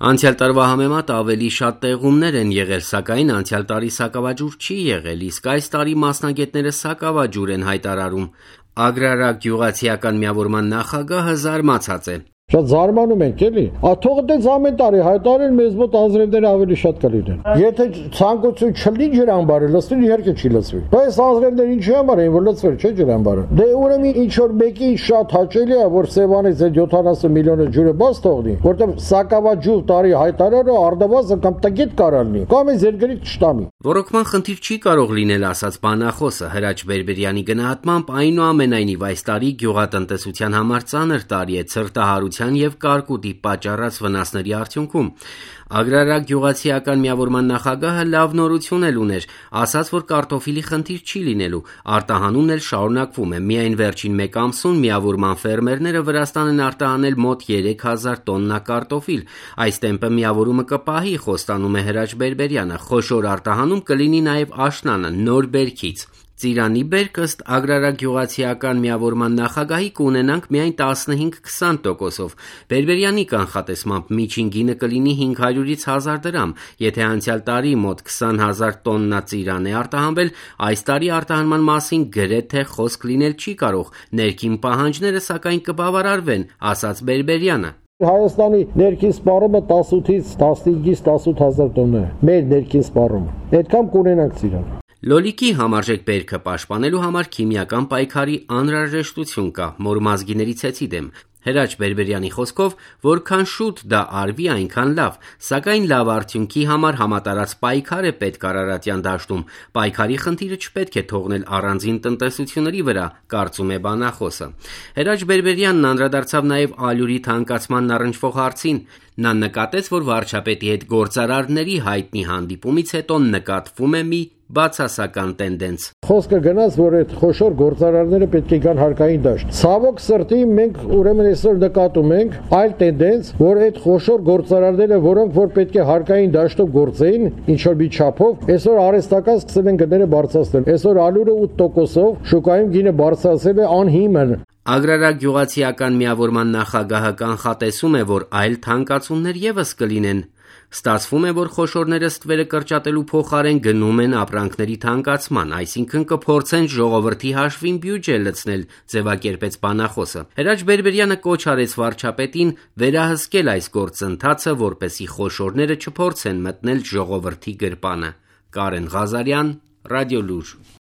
Անցյալ տարվա համեմատ ավելի շատ տեղումներ են եղել, սակայն անցյալ տարի սակավաջուր չի եղել, իսկ այս տարի մասնագետները սակավաջուր են հայտարարում։ Ագրարագյուղացիական միավորման նախագահը զարմացած է։ Շատ զարմանում ենք էլի, թող դες ամեն տարի հայտարարեն մեզ մոտ անձրևները ավելի շատ կլինեն։ Եթե ցանկություն չլինի ջրամբարը լցվի, իհարկե չի լցվի։ Բայց անձրևները ինչի համար են, որ լցվել չէ ջրամբարը։ Դե ուրեմն ինչ որ մեկի շատ հաճելի է, որ Սևանից այդ 70 միլիոնը ջուրը բաց թողնի, որտեղ սակավաջուր տարի հայտարարը արդավազը կամ տգետ կարալնի, կամ է զերգրից չտամի։ Ռոռոկման խնդիր չի կարող լինել, ասաց բանախոսը Հրաչ Բերբերյանի գնահատմամբ, այնուամենայնիվ այս տարի գյուղատնտեսության համար ծանր տարի է ցրտահարության եւ կարկուտի պատճառած վնասների արդյունքում։ Ագրարագյուղացիական միավորման նախագահը լավ նորություն էլ ուներ, ասաց, որ կարտոֆիլի խնդիր չի լինելու, արտահանումն էլ շարունակվում է։ Միայն վերջին մեկ ամսում միավորման ֆերմերները Վրաստան են արտահանել մոտ 3000 տոննա կարտոֆիլ։ Այս տեմպը միավորումը կպահի, խոստանում է Հրաչ Բերբերյանը։ Խոշոր արտահանում կլինի նաև աշնանը նոր բերքից։ Ծիրանի բերք ըստ Ագրարագյուղացիական միավորման նախագահի կունենանք միայն 15-20%-ով։ Բերբերյանի կանխատեսմամբ միջին գինը կլինի 500-ից 1000 դրամ։ Եթե անցյալ տարի մոտ 20,000 տոննա ծիրան է արտահանվել, այս տարի արտահանման մասին գրեթե խոսք լինել չի կարող։ Ներքին պահանջները սակայն կբավարարվեն, ասաց Բերբերյանը։ Հայաստանի ներքին սպառումը 18-ից 15-ից 18,000 տոննա է։ Մեր ներքին սպառումը։ Այդքան կունենանք ծիրան։ Լոլիկի համարժեք բերքը պաշտպանելու համար քիմիական պայքարի անհրաժեշտություն կա մորմազգիների ցեցի դեմ։ Հրաչ Բերբերյանի խոսքով, որքան շուտ դա արվի, այնքան լավ, սակայն լավ արդյունքի համար համատարած պայքար է պետք Արարատյան դաշտում։ Պայքարի խնդիրը չպետք է թողնել առանձին տնտեսությունների վրա, կարծում է բանախոսը։ Հրաչ Բերբերյանն անդրադարձավ նաև ալյուրի թանկացմանն առնչվող հարցին։ Նա նկատեց, որ վարչապետի հետ գործարարների հայտնի հանդիպումից հետո նկատվում է մի բացասական տենդենց։ Խոսքը գնաց, որ այդ խոշոր գործարարները պետք է գան հարկային դաշտ։ Ցավոք սրտի մենք ուրեմն այսօր նկատում ենք այլ տենդենց, որ այդ խոշոր գործարարները, որոնք որ պետք է հարկային դաշտով գործեին, ինչ որ մի չափով, այսօր արհեստական սկսել են գները բարձրացնել։ Այսօր ալյուրը 8%-ով շուկայում գինը բարձրացել է անհիմն։ Ագրարագյուղացիական միավորման նախագահը կանխատեսում է, որ այլ թանկացումներ ևս կլինեն։ Ստացվում է, որ խոշորները ստվերը կրճատելու փոխարեն գնում են ապրանքների թանկացման, այսինքն կփորձեն ժողովրդի հաշվին բյուջե լցնել, ձևակերպեց բանախոսը։ Հրաչ Բերբերյանը կոչ արեց վարչապետին վերահսկել այս գործընթացը, որպեսզի խոշորները չփորձեն մտնել ժողովրդի գրպանը։ Կարեն Ղազարյան, Ռադիոլուր։